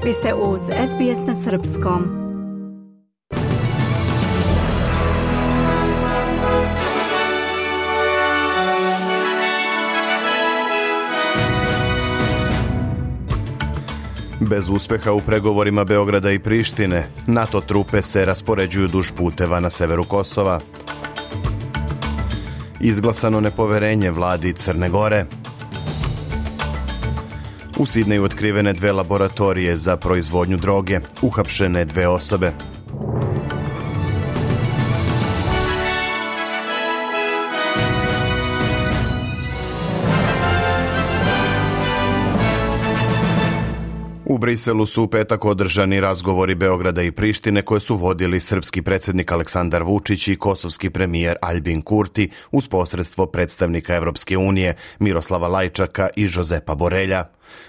Vi ste uz SBS na srpskom. Bez uspeha u pregovorima Beograda i Prištine, NATO trupe se raspoređuju duž puteva na severu Kosova. Izglasano nepoverenje vladi Crne Gore. U Sidneju otkrivene 2 laboratorije za proizvodnju droge, uhapšene 2 osobe. U Briselu su u petak održani razgovori Beograda i Prištine koje su vodili srpski predsjednik Aleksandar Vučić i kosovski premijer Aljbin Kurti uz posredstvo predstavnika Evropske unije Miroslava Lajčaka i Josepa Borelja.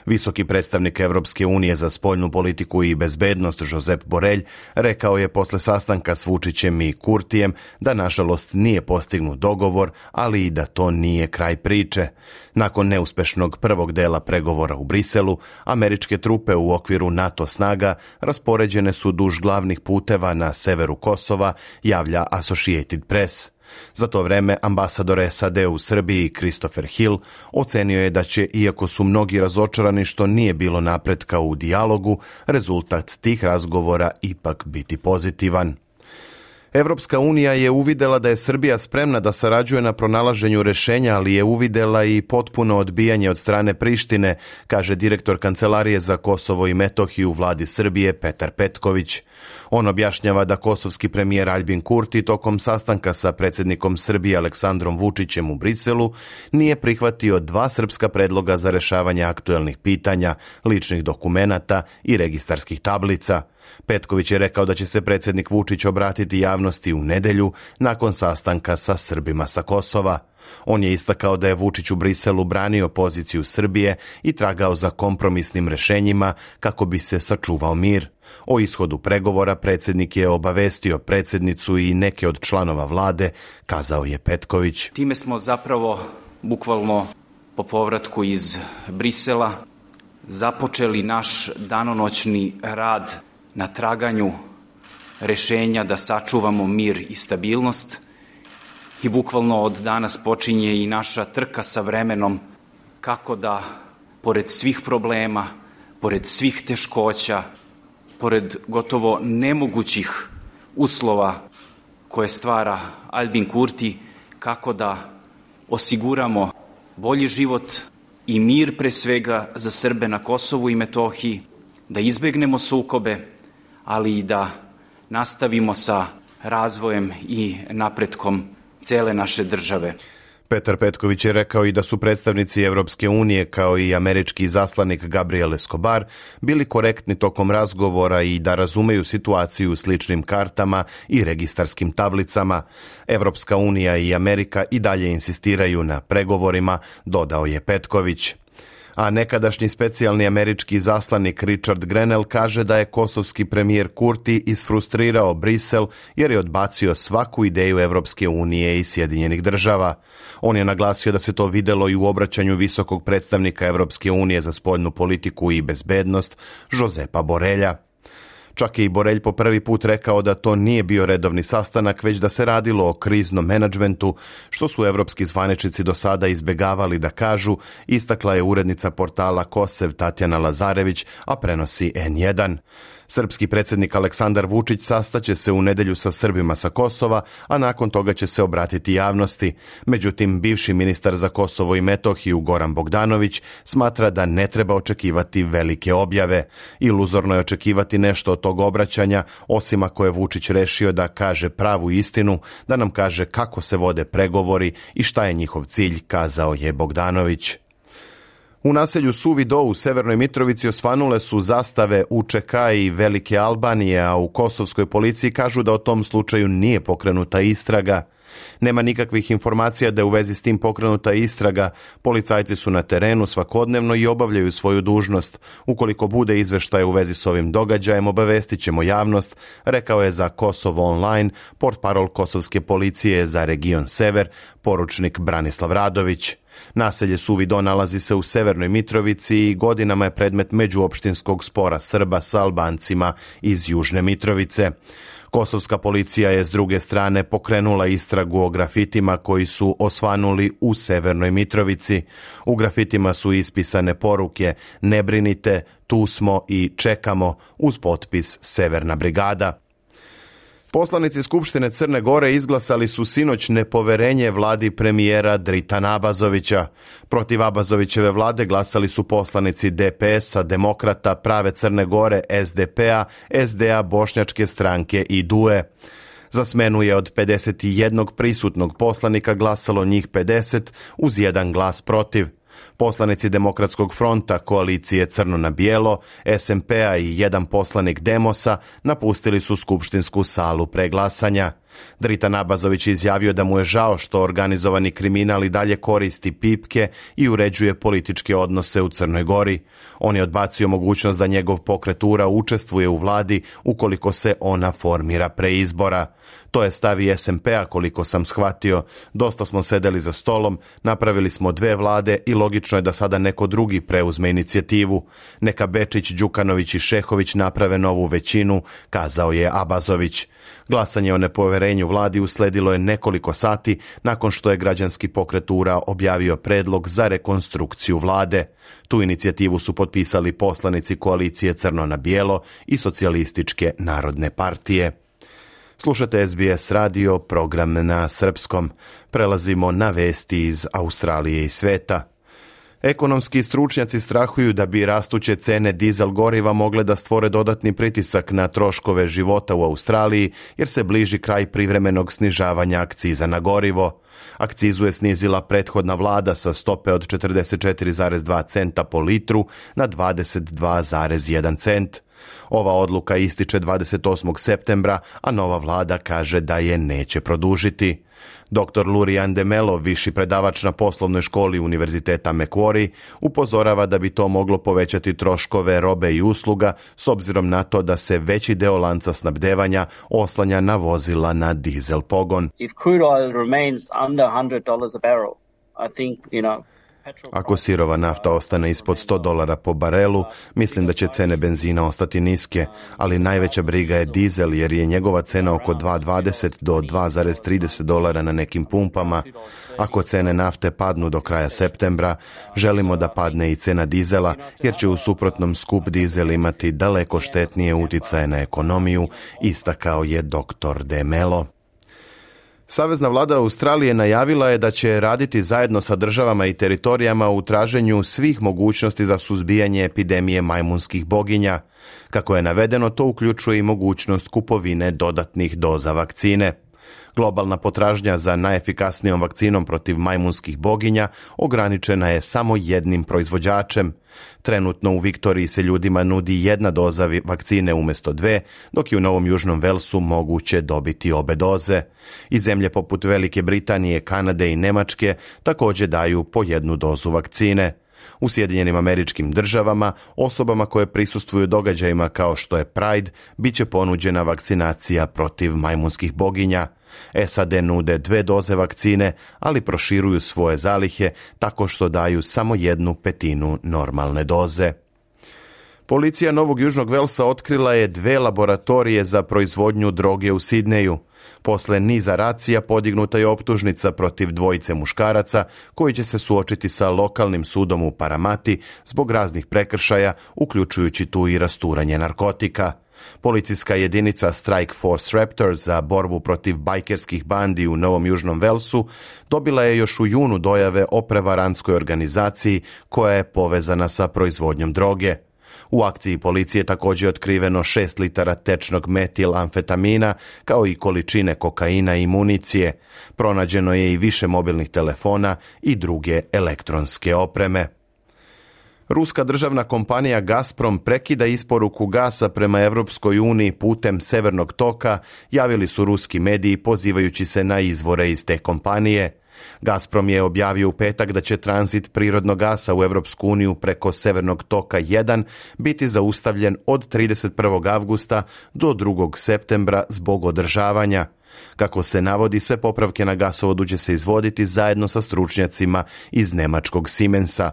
Visoki predstavnik Evropske unije za spoljnu politiku i bezbednost Josep Borelj rekao je posle sastanka s Vučićem i Kurtijem da nažalost nije postignut dogovor, ali i da to nije kraj priče. Nakon neuspešnog prvog dela pregovora u Briselu, američke trupe u okviru NATO snaga raspoređene su duž glavnih puteva na severu Kosova, javlja Associated Press. Za to vreme ambasador SAD u Srbiji Christopher Hill ocenio je da će, iako su mnogi razočarani što nije bilo napretka u dijalogu, rezultat tih razgovora ipak biti pozitivan. Evropska unija je uvidela da je Srbija spremna da sarađuje na pronalaženju rešenja, ali je uvidela i potpuno odbijanje od strane Prištine, kaže direktor Kancelarije za Kosovo i Metohiju u vladi Srbije Petar Petković. On objašnjava da kosovski premijer Aljbin Kurti tokom sastanka sa predsjednikom Srbije Aleksandrom Vučićem u Briselu nije prihvatio 2 srpska predloga za rešavanje aktuelnih pitanja, ličnih dokumenata i registarskih tablica. Petković je rekao da će se predsjednik Vučić obratiti javnosti u nedelju nakon sastanka sa Srbima sa Kosova. On je istakao da je Vučić u Briselu branio poziciju Srbije i tragao za kompromisnim rešenjima kako bi se sačuvao mir. O ishodu pregovora predsjednik je obavestio predsjednicu i neke od članova vlade, kazao je Petković. Time smo zapravo bukvalno po povratku iz Brisela započeli naš danonoćni rad na traganju rešenja da sačuvamo mir i stabilnost i bukvalno od danas počinje i naša trka sa vremenom kako da, pored svih problema, pored svih teškoća, pored gotovo nemogućih uslova koje stvara Aljbin Kurti, kako da osiguramo bolji život i mir pre svega za Srbe na Kosovu i Metohiji, da izbegnemo sukobe, ali i da nastavimo sa razvojem i napretkom cele naše države. Petar Petković je rekao i da su predstavnici Evropske unije kao i američki izaslanik Gabriel Escobar bili korektni tokom razgovora i da razumeju situaciju u sličnim kartama i registarskim tablicama. Evropska unija i Amerika i dalje insistiraju na pregovorima, dodao je Petković. A nekadašnji specijalni američki izaslanik Richard Grenell kaže da je kosovski premijer Kurti isfrustrirao Brisel jer je odbacio svaku ideju Evropske unije i Sjedinjenih država. On je naglasio da se to videlo i u obraćanju visokog predstavnika Evropske unije za spoljnu politiku i bezbednost Josepa Borelja. Čak je i Borelj po prvi put rekao da to nije bio redovni sastanak, već da se radilo o kriznom menadžmentu, što su evropski zvaničnici do sada izbegavali da kažu, istakla je urednica portala Kosev Tatjana Lazarević, a prenosi N1. Srpski predsjednik Aleksandar Vučić sastaće se u nedelju sa Srbima sa Kosova, a nakon toga će se obratiti javnosti. Međutim, bivši ministar za Kosovo i Metohiju Goran Bogdanović smatra da ne treba očekivati velike objave. Iluzorno je očekivati nešto od tog obraćanja, osim ako je Vučić rešio da kaže pravu istinu, da nam kaže kako se vode pregovori i šta je njihov cilj, kazao je Bogdanović. U naselju Suvi Do u Severnoj Mitrovici osvanule su zastave UČK i Velike Albanije, a u kosovskoj policiji kažu da o tom slučaju nije pokrenuta istraga. Nema nikakvih informacija da je u vezi s tim pokrenuta istraga. Policajci su na terenu svakodnevno i obavljaju svoju dužnost. Ukoliko bude izveštaja u vezi s ovim događajem, obavestit ćemo javnost, rekao je za Kosovo Online portparol kosovske policije za region Sever, poručnik Branislav Radović. Naselje Suvi Do nalazi se u Severnoj Mitrovici i godinama je predmet međuopštinskog spora Srba sa Albancima iz Južne Mitrovice. Kosovska policija je s druge strane pokrenula istragu o grafitima koji su osvanuli u Severnoj Mitrovici. U grafitima su ispisane poruke "Ne brinite, tu smo i čekamo" uz potpis Severna brigada. Poslanici Skupštine Crne Gore izglasali su sinoć nepoverenje vladi premijera Dritana Abazovića. Protiv Abazovićeve vlade glasali su poslanici DPS-a, Demokrata, Prave Crne Gore, SDP-a, SD-a, Bošnjačke stranke i DUE. Za smenu je od 51 prisutnog poslanika glasalo njih 50 uz jedan glas protiv. Poslanici Demokratskog fronta, koalicije Crno na bijelo, SMP-a i jedan poslanik Demosa napustili su skupštinsku salu pre glasanja. Dritan Abazović je izjavio da mu je žao što organizovani kriminal i dalje koristi pipke i uređuje političke odnose u Crnoj Gori. On je odbacio mogućnost da njegov pokret URA učestvuje u vladi ukoliko se ona formira pre izbora. To je stav i SMP-a, koliko sam shvatio. Dosta smo sedeli za stolom, napravili smo 2 vlade i logično je da sada neko drugi preuzme inicijativu. Neka Bečić, Đukanović i Šehović naprave novu većinu, kazao je Abazović. Glasanje o nepoverenju vladi usledilo je nekoliko sati nakon što je građanski pokret URA objavio predlog za rekonstrukciju vlade. Tu inicijativu su potpisali poslanici koalicije Crno na bijelo i Socijalističke narodne partije. Slušate SBS radio, program na srpskom. Prelazimo na vesti iz Australije i sveta. Ekonomski stručnjaci strahuju da bi rastuće cene dizel goriva mogle da stvore dodatni pritisak na troškove života u Australiji, jer se bliži kraj privremenog snižavanja akciza na gorivo. Akcizu je snizila prethodna vlada sa stope od 44,2 centa po litru na 22,1 cent. Ova odluka ističe 28. septembra, a nova vlada kaže da je neće produžiti. Dr. Lurian Demelo, viši predavač na poslovnoj školi Univerziteta Macquarie, upozorava da bi to moglo povećati troškove robe i usluga s obzirom na to da se veći deo lanca snabdevanja oslanja na vozila na dizel pogon. If crude oil remains under $100 a barrel, I think, Ako sirova nafta ostane ispod $100 po barelu, mislim da će cene benzina ostati niske, ali najveća briga je dizel jer je njegova cena oko $2,20 do $2,30 na nekim pumpama. Ako cene nafte padnu do kraja septembra, želimo da padne i cena dizela jer će u suprotnom skup dizel imati daleko štetnije uticaje na ekonomiju, istakao je dr. De Mello. Savezna vlada Australije najavila je da će raditi zajedno sa državama i teritorijama u traženju svih mogućnosti za suzbijanje epidemije majmunskih boginja. Kako je navedeno, to uključuje i mogućnost kupovine dodatnih doza vakcine. Globalna potražnja za najefikasnijom vakcinom protiv majmunskih boginja ograničena je samo jednim proizvođačem. Trenutno u Viktoriji se ljudima nudi 1 doza vakcine umjesto 2, dok je u Novom Južnom Velsu moguće dobiti obe doze. I zemlje poput Velike Britanije, Kanade i Nemačke također daju po 1 dozu vakcine. U Sjedinjenim Američkim Državama osobama koje prisustvuju događajima kao što je Pride bit će ponuđena vakcinacija protiv majmunskih boginja. SAD nude 2 doze vakcine, ali proširuju svoje zalihe tako što daju samo 1/5 normalne doze. Policija Novog Južnog Velsa otkrila je 2 laboratorije za proizvodnju droge u Sidneju. Posle niza racija podignuta je optužnica protiv 2 muškaraca koji će se suočiti sa lokalnim sudom u Paramati zbog raznih prekršaja, uključujući tu i rasturanje narkotika. Policijska jedinica Strike Force Raptor za borbu protiv bajkerskih bandi u Novom Južnom Velsu dobila je još u junu dojave o prevarantskoj organizaciji koja je povezana sa proizvodnjom droge. U akciji policije također je otkriveno 6 litara tečnog metilamfetamina, kao i količine kokaina i municije. Pronađeno je i više mobilnih telefona i druge elektronske opreme. Ruska državna kompanija Gazprom prekida isporuku gasa prema Europskoj uniji putem Severnog toka, javili su ruski mediji pozivajući se na izvore iz te kompanije. Gazprom je objavio u petak da će tranzit prirodnog gasa u Europsku uniju preko Severnog toka 1 biti zaustavljen od 31. avgusta do 2. septembra zbog održavanja. Kako se navodi, sve popravke na gasovodu će se izvoditi zajedno sa stručnjacima iz nemačkog Siemensa.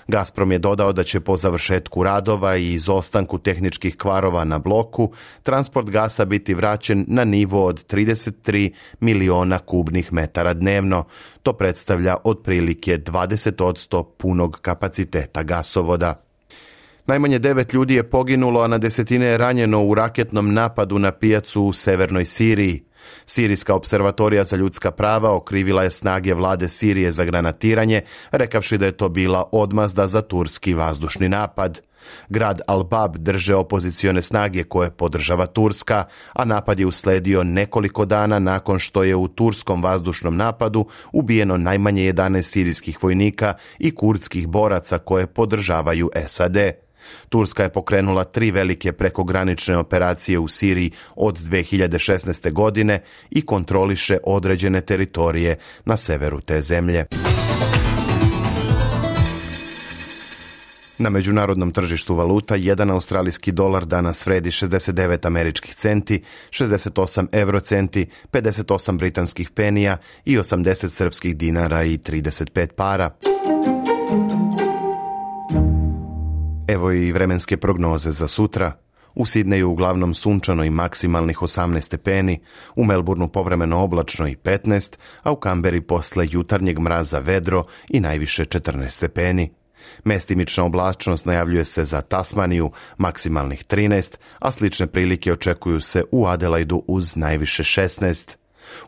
Gazprom je dodao da će po završetku radova i izostanku tehničkih kvarova na bloku transport gasa biti vraćen na nivo od 33 miliona kubnih metara dnevno. To predstavlja otprilike 20% punog kapaciteta gasovoda. Najmanje 9 ljudi je poginulo, a na desetine je ranjeno u raketnom napadu na pijacu u severnoj Siriji. Sirijska observatorija za ljudska prava okrivila je snage vlade Sirije za granatiranje, rekavši da je to bila odmazda za turski vazdušni napad. Grad Al-Bab drže opozicione snage koje podržava Turska, a napad je usledio nekoliko dana nakon što je u turskom vazdušnom napadu ubijeno najmanje 11 sirijskih vojnika i kurdskih boraca koje podržavaju SAD. Turska je pokrenula 3 velike prekogranične operacije u Siriji od 2016. godine i kontroliše određene teritorije na severu te zemlje. Na međunarodnom tržištu valuta, 1 australijski dolar danas vredi 69 američkih centi, 68 eurocenti, 58 britanskih penija i 80 srpskih dinara i 35 para. Evo i vremenske prognoze za sutra. U Sidneju uglavnom sunčano i maksimalnih 18 stepeni, u Melbourneu povremeno oblačno i 15, a u Kamberi posle jutarnjeg mraza vedro i najviše 14 stepeni. Mestimična oblačnost najavljuje se za Tasmaniju, maksimalnih 13, a slične prilike očekuju se u Adelaidu uz najviše 16.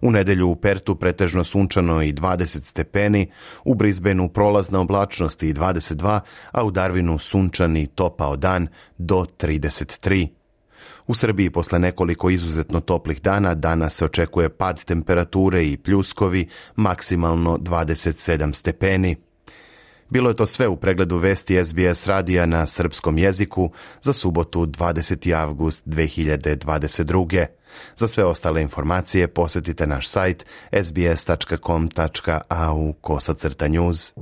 U nedelju u Pertu pretežno sunčano i 20 stepeni, u Brisbaneu prolazna oblačnost i 22, a u Darwinu sunčani i topao dan do 33. U Srbiji posle nekoliko izuzetno toplih dana danas se očekuje pad temperature i pljuskovi, maksimalno 27 stepeni. Bilo je to sve u pregledu vesti SBS radija na srpskom jeziku za subotu 20. avgust 2022. Za sve ostale informacije posjetite naš sajt sbs.com.au/news.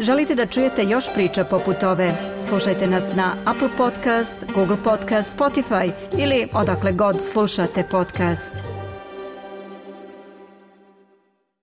Želite da čujete još priča poput ove? Slušajte nas na Apple Podcast, Google Podcast, Spotify ili odakle god slušate podcast.